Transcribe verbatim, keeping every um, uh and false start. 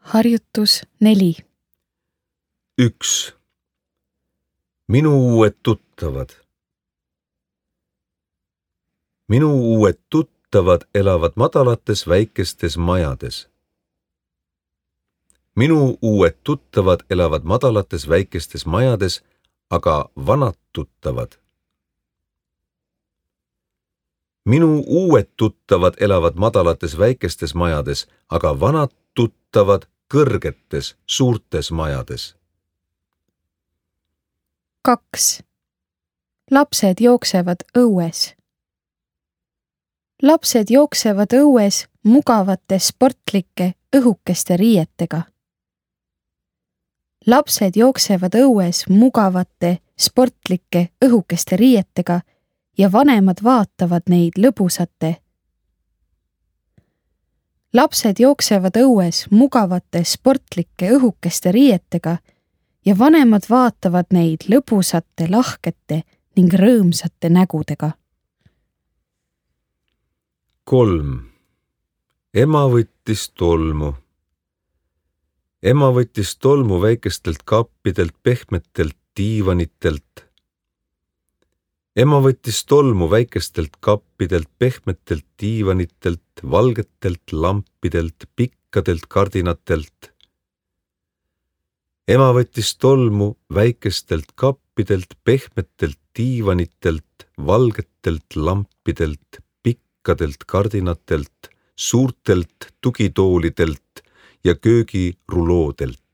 Harjutus neli. üks. Minu uued tuttavad. Minu uued tuttavad elavad madalates väikestes majades. Minu uued tuttavad elavad madalates väikestes majades, aga vanad tuttavad. Minu uued tuttavad elavad madalates väikestes majades, aga vanad tuttavad kõrgetes suurtes majades. kaks. Lapsed jooksevad õues. Lapsed jooksevad õues mugavate sportlike õhukeste riietega. Lapsed jooksevad õues mugavate sportlike õhukeste riietega ja vanemad vaatavad neid lõbusate. Lapsed jooksevad õues mugavate sportlike õhukeste riietega ja vanemad vaatavad neid lõbusate, lahkete ning rõõmsate nägudega. kolm. Ema võttis tolmu. Ema võttis tolmu väikestelt kappidelt, pehmetelt diivanitelt. Ema võttis tolmu väikestelt kappidelt, pehmetelt diivanitelt, valgetelt lampidelt, pikkadelt kardinatelt. Ema võttis tolmu väikestelt kappidelt, pehmetelt diivanitelt, valgetelt lampidelt, pikkadelt kardinatelt, suurtelt tugitoolidelt ja köögiruloodelt.